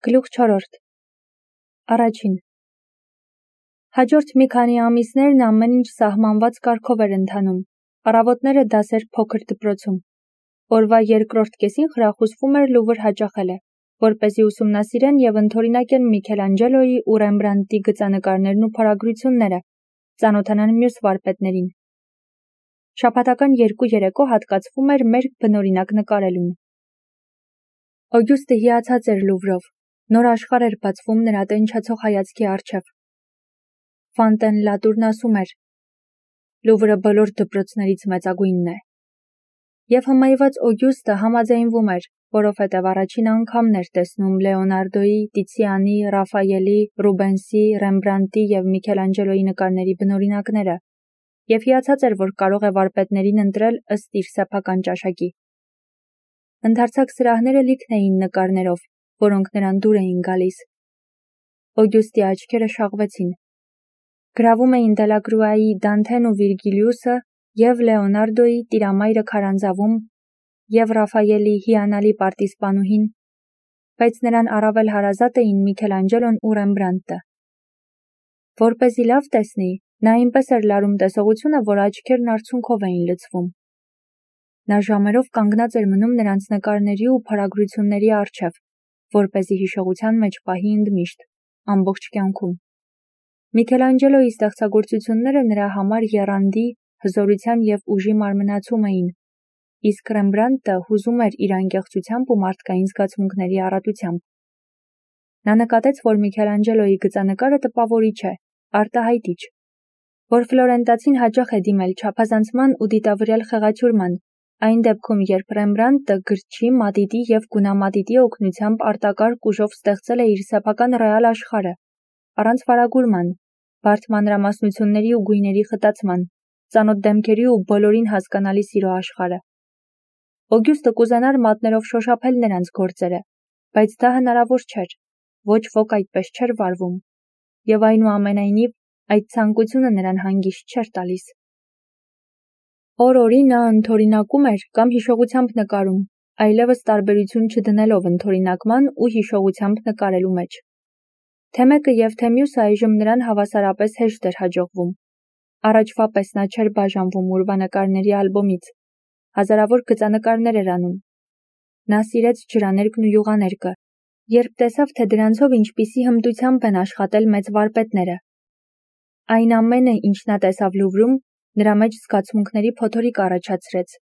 Գլուխ 4. Առաջին. Հաջորդ մի քանի ամիսներն ամեն ինչ սահմանված կարգով էր ընթանում, առավոտները դասեր փոքր դպրոցում, օրվա երկրորդ կեսին խրախուսվում էր Լուվր հաճախելը, որպեսզի ուսումնասիրեն և ընդօրինակեն Միքելանջելոյի ու Ռեմբրանդտի գծանկարներն ու փորագրությունները, ծանոթանան մյուս վարպետներին։ Շաբաթական 2 երեկո հատկացվում էր մեր բնօրինակ նկարելուն։ Օգյուստը հիացած էր Լուվրով, նոր աշխարհ էր բացվում նրա տենչացող հայացքի առջև։ Ֆանտենլատուրն ասում էր. Լուվրը բոլոր դպրոցներից մեծագույնն է։ Եվ հմայված Օգյուստը համաձայնվում էր, որովհետև առաջին անգամն էր տեսնում Լեոնարդոյի, Տիցիանի, Ռաֆայելի, Ռուբենսի, Ռեմբրանդտի և Միքելանջելոյի նկարների բնօրինակները, և հիացած էր, որ կարող է վարպետներին ընտրել ըստ իր սեփական ճաշակի։ Ընդարձակ սրահները լիքն էին նկարներով, որոնք նրան դուր էին գալիս։ Օգյուստի աչքերը շաղվեցին։ Գրավում էին Դելակրուայի Դանթեն ու Վիրգիլիուսը և Լեոնարդոյի Տիրամայրը քարանձավում և Ռաֆայելի հիանալի պարտիզպանուհին, բայց նրան առավել հարազատ էին Միքելանջելոն ու Ռեմբրանդտը։ Որպեսզի լավ տեսնի, նա այնպես էր լարում տեսողությունը, որ աչքերն արցունքով էին լցվում։ Նա ժամերով կանգնած էր մնում նրանց նկարների ու փորագրությունների առջև, որպեսզի հիշողության մեջ պահի ընդմիշտ, ամբողջ կյանքում։ Միքելանջելոյի ստեղծագործությունները նրա համար եռանդի, հզորության և ուժի մարմնացում էին, իսկ Ռեմբրանդտը հուզում էր իր անկեղծությամբ ու մարդկային զգացմունքների առատությամբ։ Նա նկատեց, որ Միքելանջելոյի գծանկարը տպավորիչ է, արտահայտիչ, որ ֆլորենտացին հաճախ է դիմել չափազանցման ու դիտավորյալ խեղաթյուրման, այն դեպքում, երբ Ռեմբրանդտը գրչի, մատիտի և գունամատիտի օգնությամբ արտակարգ ուժով ստեղծել է իր սեփական ռեալ աշխարհը, առանց վարագուրման, բարդ մանրամասնությունների ու գույների խտացման, ծանոթ դեմքերի ու բոլորին հասկանալի սիրո աշխարհը։ Օգյուստը կուզենար մատներով շոշափել նրանց գործերը, բայց դա հնարավոր չէր, ոչ ոք այդպես չէր վարվում, և այնուամենայնիվ այդ ցանկությունը նրան հանգիստ չէր տալիս։ Օր-օրի նա ընդօրինակում էր կամ հիշողությամբ նկարում, այլևս տարբերություն չդնելով ընդօրինակման ու հիշողությամբ նկարելու մեջ։ Թե մեկը և թե մյուսը այժմ նրան հավասարապես հեշտ էր հաջողվում։ Առաջվա պես նա չէր բաժանվում ուրվանկարների ալբոմից, հազարավոր գծանկարներ էր անում։ Նա սիրեց ջրաներկն ու յուղաներկը, երբ տեսավ, թե դրանցով ինչպիսի հմտությամբ են աշխատել մեծ վարպետները։ Այն ամենը, ինչ նա տեսավ Լուվրում, նրա մեջ զգացմունքների փոթորիկ առաջացրեց։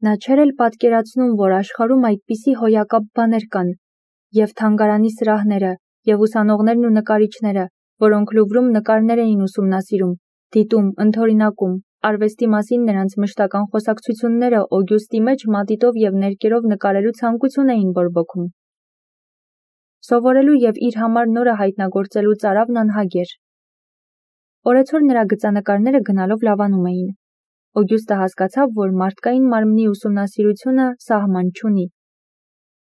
Նա չէր էլ պատկերացնում, որ աշխարհում այդպիսի հոյակապ բաներ կան, և թանգարանի սրահները, և ուսանողներն ու նկարիչները, որոնք Լուվրում նկարներ էին ուսումնասիրում, դիտում, ընդօրինակում, արվեստի մասին նրանց մշտական խոսակցությունները Օգյուստի մեջ մատիտով և ներկերով նկարելու ցանկություն էին բորբոքում։ Սովորելու և իր համար նորը հայտնագործելու ծարավն անհագ էր։ Օրեցօր նրա գծանկարները գնալով լավանում էին։ Օգյուստը հասկացավ, որ մարդկային մարմնի ուսումնասիրությունը սահման չունի։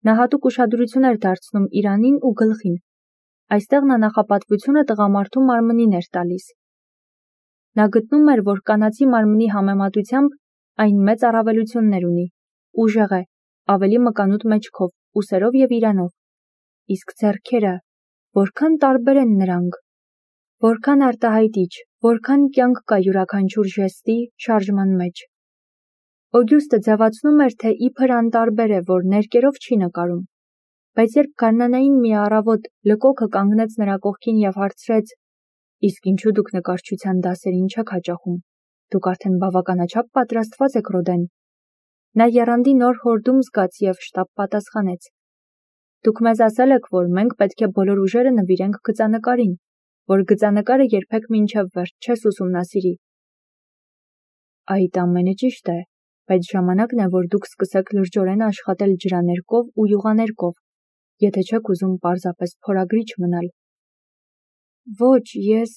Նա հատուկ ուշադրություն էր դարձնում իրանին ու գլխին։ Այստեղ նա նախապատվությունը տղամարդու մարմնին էր տալիս։ Նա գտնում էր, որ կանացի մարմնի համեմատությամբ այն մեծ առավելություններ ունի, ուժեղ է, ավելի մկանուտ մեջքով, ուսերով և իրանով։ Իսկ ձեռքերը, որքան տարբեր են նրանք, որքան արտահայտիչ, որքան կյանք կա յուրաքանչյուր ժեստի, շարժման մեջ։ Օգյուստը ձևացնում էր, թե իբր անտարբեր է, որ ներկերով չի նկարում, բայց երբ գարնանային մի առավոտ լկոքը կանգնեց նրա կողքին և հարցրեց. «Իսկ ինչու դուք նկարչության դասերին չեք հաճախում, դուք արդեն բավականաչափ պատրաստված եք Ռոդեն»։ Նա եռանդի նոր հորդում զգաց և շտապ պատասխանեց. «Դուք մեզ ասել եք, որ մենք պետք է բոլոր ուժերը նվիրենք գծանկարին, որ գծանկարը երբեք մինչև վերջ չես ուսումնասիրի»։ Այդ ամենը ճիշտ է, բայց ժամանակն է, որ դուք սկսեք լրջորեն աշխատել ջրաներկով ու յուղաներկով, եթե չեք ուզում պարզապես փորագրիչ մնալ։ Ոչ, ես…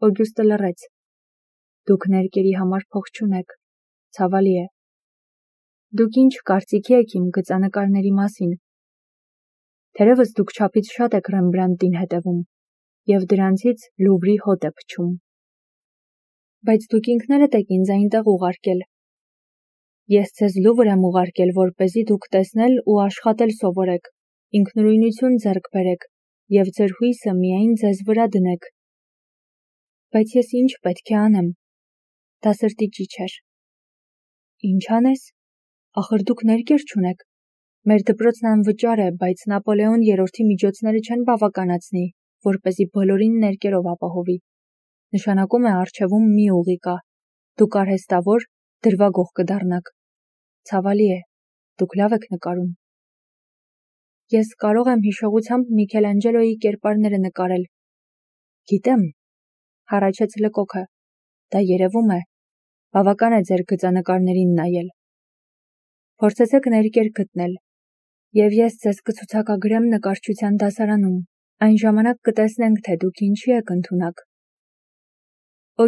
Օգյուստը լռեց։ Դուք ներկերի համար փող չունեք, ցավալի է։ Դուք ինչ կարծիքի եք իմ գծանկարների մասին։ Թերևս դուք չափից շատ եք Ռեմբրանդտին հետևում, և դրանցից Լուվրի հոտ է փչում։ Բայց դուք ինքներդ եք ինձ այնտեղ ուղարկել։ Ես ձեզ Լուվր եմ ուղարկել, որպեսզի դուք տեսնել ու աշխատել սովորեք, ինքնուրույնություն ձեռք բերեք և ձեր հույսը միայն ձեզ վրա դնեք։ Բայց ես ինչ պետք է անեմ։ Դա սրտի ճիչ էր։ Ինչ անես։ Ախր դուք ներկեր չունեք։ Մեր դպրոցն անվճար է, բայց Նապոլեոն III-ի միջոցները չեն բավականացնի, որպեսզի բոլորին ներկերով ապահովի։ Նշանակում է առջևում մի ուղի կա։ Դուք արհեստավոր, դրվագող կդառնաք։ Ցավալի է, դուք լավ եք նկարում։ Ես կարող եմ հիշողությամբ Միքելանջելոյի կերպարները նկարել։ Գիտեմ, հառաչեց Լկոքը։ Դա երևում է։ Բավական է ձեր գծանկարներին նայել։ Փորձեցեք ներկեր գտնել, և ես ձեզ կցուցակագրեմ նկարչության դասարանում, այն ժամանակ կտեսնենք, թե դուք ինչի եք ընդունակ։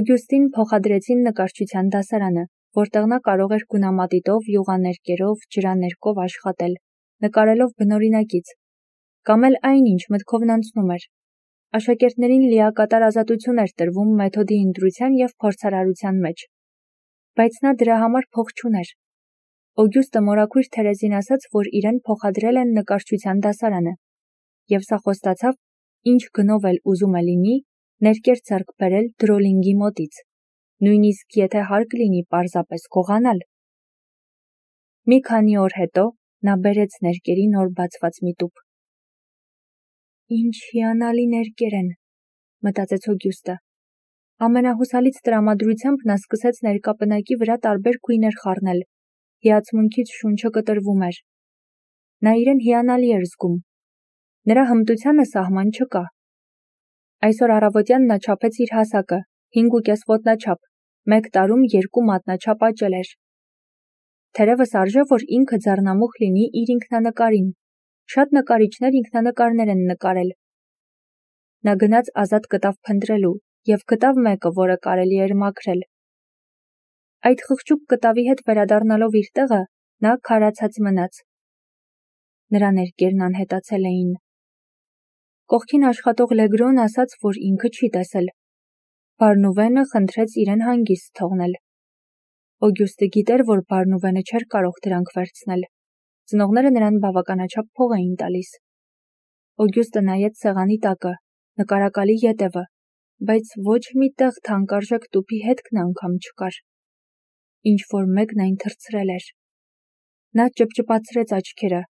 Օգյուստին փոխադրեցին նկարչության դասարանը, որտեղ նա կարող էր գունամատիտով, յուղաներկերով, ջրաներկով աշխատել, նկարելով բնօրինակից, կամ էլ այնինչ մտքովն անցնում էր։ Աշակերտներին լիակատար ազատություն էր տրվում մեթոդի ընտրության և փորձարարության մեջ։ Բայց նա դրա համար փող չուներ։ Օգյուստը մորաքույր Թերեզին ասաց, որ իրեն փոխադրել են նկարչության դասարանը, և սա խոստացավ, ինչ գնով էլ ուզում է լինի, ներկեր ձեռք բերել Դրոլինգի մոտից, նույնիսկ եթե հարկ լինի պարզապես գողանալ։ Մի քանի օր հետո նա բերեց ներկերի նոր բացված մի տուփ։ Ինչ հիանալի ներկեր են, մտածեց Օգյուստը։ Ամենահուսալից տրամադրությամբ նա սկսեց ներկա պնակի վրա տարբեր գույներ խառնել։ Հիացմունքից շունչը կտրվում էր։ Նա իրեն հիանալի էր զգում։ Նրա հմտությանը սահման չկա։ Այսօր առավոտյան նա չափեց իր հասակը, 5,5 ոտնաչափ, 1 տարում 2 մատնաչափ աճել էր։ Թերևս արժե, որ ինքը ձեռնամուխ լինի իր ինքնանկարին։ Շատ նկարիչներ ինքնանկարներ են նկարել։ Նա գնաց ազատ կտավ փնտրելու և գտավ մեկը, որը կարելի էր մաքրել։ Այդ խղճուկ կտավի հետ վերադառնալով իր տեղը, նա քարացած մնաց։ Նրա ներկերն անհետացել էին։ Կողքին աշխատող Լեգրոն ասաց, որ ինքը չի տեսել։ Բարնուվենը խնդրեց իրեն հանգիստ թողնել։ Օգյուստը գիտեր, որ Բարնուվենը չէր կարող դրանք վերցնել։ Ծնողները նրան բավականաչափ փող էին տալիս։ Օգյուստը նայեց սեղանի տակը, նկարակալի ետևը, բայց ոչ մի տեղ թանկարժեք տուփի հետքն անգամ չկար։ Ինչ-որ մեկն այն թռցրել էր։ Նա ճպճպացրեց աչքերը,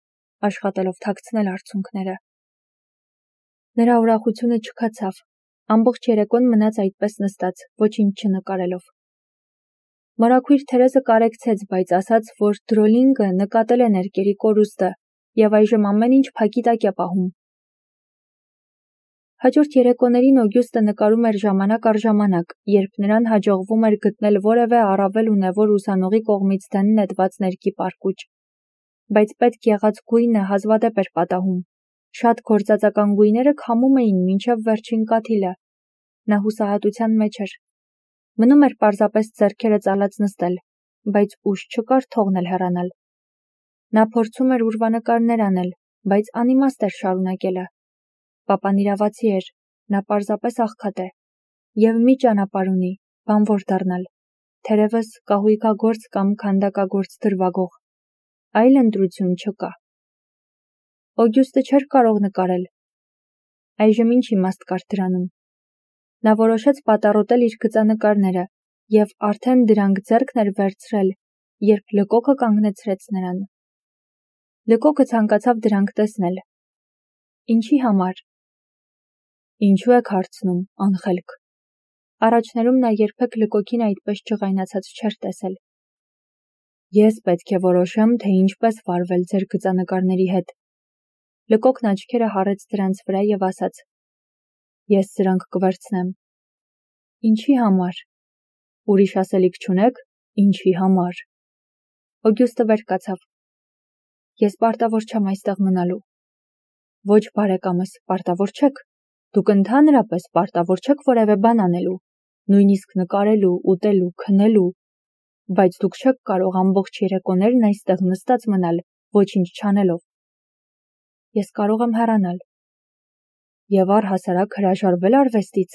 աշխատելով թաքցնել արցունքները։ Նրա ուրախությունը չքացավ։ Ամբողջ երեկոն մնաց այդպես նստած, ոչինչ չնկարելով։ Մորաքույր Թերեզը կարեկցեց, բայց ասաց, որ Դրոլինգը նկատել է ներկերի կորուստը և այժմ ամեն ինչ փակի տակ է պահում։ Հաջորդ երեկոներին Օգյուստը նկարում էր ժամանակ առ ժամանակ, երբ նրան հաջողվում էր գտնել որևէ առավել ունևոր ուսանողի կողմից դեն նետված ներկի պարկուճ։ Բայց պետք եղած գույնը հազվադեպ էր պատահում։ Շատ գործածական գույները քամում էին մինչև վերջին կաթիլը։ Նա հուսահատության մեջ էր։ Մնում էր պարզապես ձեռքերը ծալած նստել, բայց ուժ չկար թողնել հեռանալ։ Նա փորձում էր ուրվանկարներ անել, բայց անիմաստ էր շարունակելը։ Պապան իրավացի էր, նա պարզապես աղքատ է, և մի ճանապարհ ունի, բանվոր դառնալ, թերևս կահույքագործ կամ քանդակագործ դրվագող։ Այլ ընտրություն չկա։ Օգյուստը չէր կարող նկարել։ Այժմ ինչ իմաստ կար դրանում։ Նա որոշեց պատառոտել իր գծանկարները և արդեն դրանք ձեռքն էր վերցրել, երբ Լկոքը կանգնեցրեց նրան։ Լկոքը ցանկացավ դրանք տեսնել։ Ինչի համար։ Ինչու եք հարցնում, անխելք։ Առաջներում նա երբեք Լկոքին այդպես ջղայնացած չէր տեսել։ Ես պետք է որոշեմ, թե ինչպես վարվել ձեր գծանկարների հետ։ Լկոքն աչքերը հառեց դրանց վրա և ասաց. Ես սրանք կվերցնեմ։ Ինչի համար։ Ուրիշ ասելիք չունեք, ինչի համար։ Օգյուստը վեր կացավ։ Ես պարտավոր չեմ այստեղ մնալու։ Ոչ, բարեկամս, պարտավոր չեք։ Դուք ընդհանրապես պարտավոր չեք որևէ բան անելու, նույնիսկ նկարելու, ուտելու, քնելու, բայց դուք չեք կարող ամբողջ երեկոներն այստեղ նստած մնալ, ոչինչ չանելով։ Ես կարող եմ հեռանալ։ Եվ առհասարակ հրաժարվել արվեստից։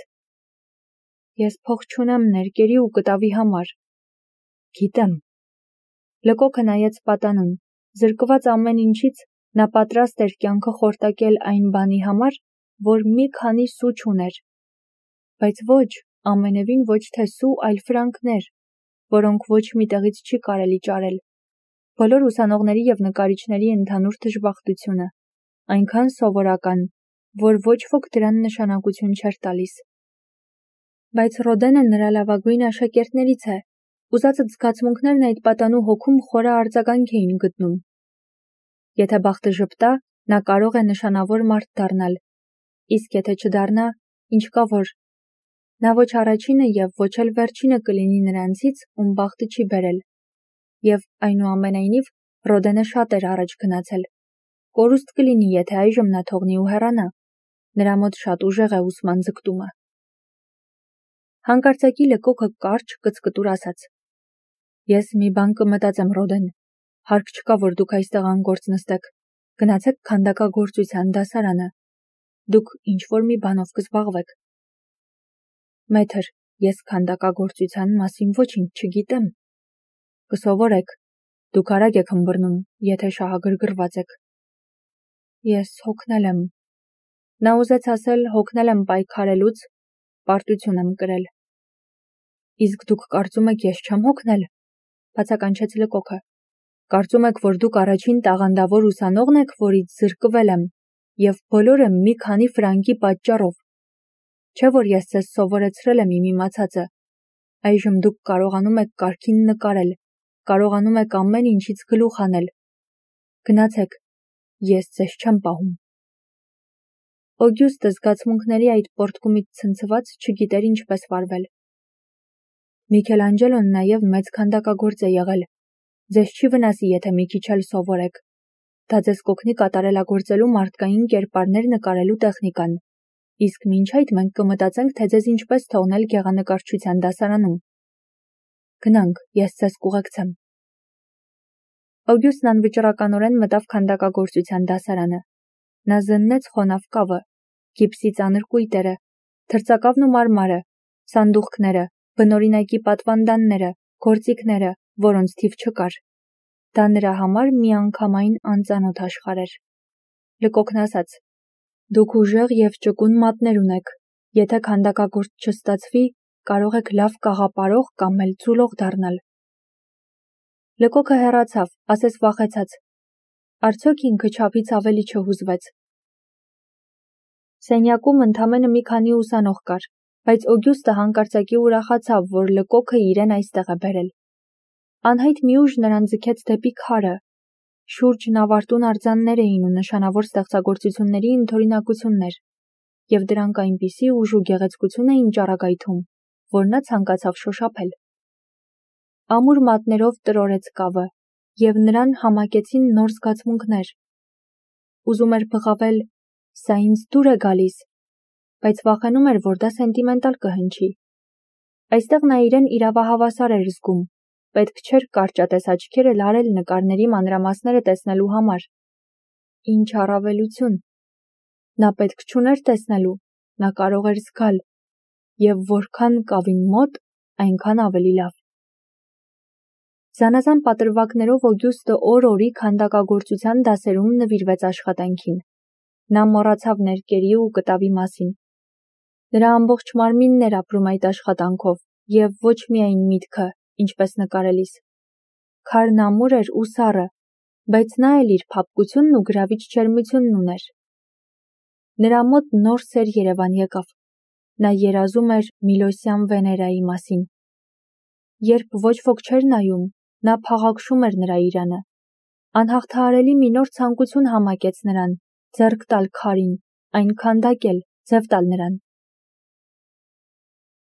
Ես փող չունեմ ներկերի ու կտավի համար։ Գիտեմ։ Լկոքը նայեց պատանուն, զրկված ամեն ինչից, Նա պատրաստ էր կյանքը խորտակել այն բանի համար, որ մի քանի սու չուներ, բայց ոչ, ամենևին ոչ թե սու, այլ ֆրանկներ, որոնք ոչ մի տեղից չի կարելի ճարել։ Բոլոր ուսանողների և նկարիչների ընդհանուր դժբախտությունը, այնքան սովորական, որ ոչ ոք դրան նշանակություն չէր տալիս։ Բայց Ռոդենը նրա լավագույն աշակերտներից է, ուզածդ զգացմունքներն այդ պատանու հոգում խորը արձագանք էին գտնում։ Եթե բախտը ժպտա, նա կարող է նշանավոր մարդ դառնալ, իսկ եթե չդառնա, ինչ կա որ։ Նա ոչ առաջինը և ոչ էլ վերջինը կլինի նրանցից, ում բախտը չի բերել։ Եվ այնուամենայնիվ Ռոդենը շատ էր առաջ գնացել։ Կորուստ կլինի, եթե այժմ նա թողնի ու հեռանա։ Նրա մոտ շատ ուժեղ է ուսման ձգտումը։ Հանկարծակի Լկոկը կարճ կծկտուր ասաց. Ես մի բան կմտածեմ, Ռոդեն, հարկ չկա, որ դուք այստեղ անգործ նստեք, գնացեք քանդակագործության դասարանը, դուք ինչ-որ մի բանով կզբաղվեք։ Մեթր, ես քանդակագործության մասին ոչինչ չգիտեմ։ Կսովորեք, դուք արագ եք հմբռնում, եթե շահագրգռված եք։ Ես հոգնել եմ։ Նա ուզեց ասել հոգնել եմ պայքարելուց, պարտություն եմ կրել։ Իսկ դուք կարծում եք ես չեմ հոգնել, բացականչեց Լկոկը։ Կարծում եք, որ դուք առաջին տաղանդավոր ուսանողն եք, որից զրկվել եմ, և բոլորը մի քանի ֆրանկի պատճառով։ Չէ՞ որ ես ձեզ սովորեցրել եմ իմ իմացածը։ Այժմ դուք կարողանում եք կարգին նկարել, կարողանում եք ամեն ինչից գլուխ հանել։ Գնացեք, ես ձեզ չեմ պահում։ Օգյուստը զգացմունքների այդ պոռթկումից ցնցված չգիտեր ինչպես վարվել։ Միքելանջելոն նաև մեծ քանդակագործ է եղել։ Ձեզ չի վնասի, եթե մի քիչ էլ սովորեք։ Դա ձեզ կօգնի կատարելագործելու մարդկային կերպարներ նկարելու տեխնիկան։ Իսկ մինչ այդ մենք կմտածենք, թե ձեզ ինչպես թողնել գեղանկարչության դասարանում։ Գնանք, ես ձեզ կուղեկցեմ։ Օգյուստն անվճռականորեն մտավ քանդակագործության դասարանը։ Նա զննեց խոնավ կավը, գիպսի ծանր կույտերը, թրծակավն ու մարմարը, սանդուղքները, բնօրինակի պատվանդանները, գործիքները, որոնց թիվ չկար։ Դա նրա համար միանգամայն անծանոթ աշխարհ էր։ Լկոկն ասաց. Դուք ուժեղ և ճկուն մատներ ունեք։ Եթե քանդակագործ չստացվի, կարող եք լավ կաղապարող կամ էլ ձուլող դառնալ։ Լկոկը հեռացավ, ասես վախեցած։ Արդյոք ինքը չափից ավելի չհուզվեց։ Սենյակում ընդամենը մի քանի ուսանող կար, բայց Օգյուստը հանկարծակի ուրախացավ, որ Լկոկը իրեն այստեղ է բերել։ Անհայտ մի ուժ նրան ձգեց դեպի քարը։ Շուրջն ավարտուն արձաններ էին ու նշանավոր ստեղծագործությունների ընդօրինակություններ, և դրանք այնպիսի ուժ ու գեղեցկություն էին ճառագայթում, որ նա ցանկացավ շոշափել։ Ամուր մատներով տրորեց կավը, և նրան համակեցին նոր զգացմունքներ։ Ուզում էր բղավել. «Սա ինձ դուր է գալիս», բայց վախենում էր, որ դա սենտիմենտալ կհնչի։ Այստեղ նա իրեն իրավահավասար էր զգում, պետք չէր կարճատես աչքերը լարել նկարների մանրամասները տեսնելու համար։ Ինչ առավելություն։ Նա պետք չուներ տեսնելու, նա կարող էր զգալ, և որքան կավին մոտ, այնքան ավելի լավ։ Զանազան պատրվակներով Օգյուստը օր-օրի քանդակագործության դասերում նվիրվեց աշխատանքին։ Նա մոռացավ ներկերի ու կտավի մասին։ Նրա ամբողջ մարմինն էր ապրում այդ աշխատանքով, և ոչ միայն միտքը, ինչպես նկարելիս։ Քարն ամուր էր ու սառը, բայց նա էլ իր փափկությունն ու գրավիչ ջերմությունն ուներ։ Նրա մոտ նոր սեր Երևան եկավ։ Նա երազում էր Միլոսյան Վեներայի մասին։ Երբ ոչ ոք չէր նայում, նա փաղաքշում էր նրա իրանը։ Անհաղթահարելի մի նոր ցանկություն համակեց նրան՝ ձեռք տալ քարին, այն քանդակել, ձև տալ նրան։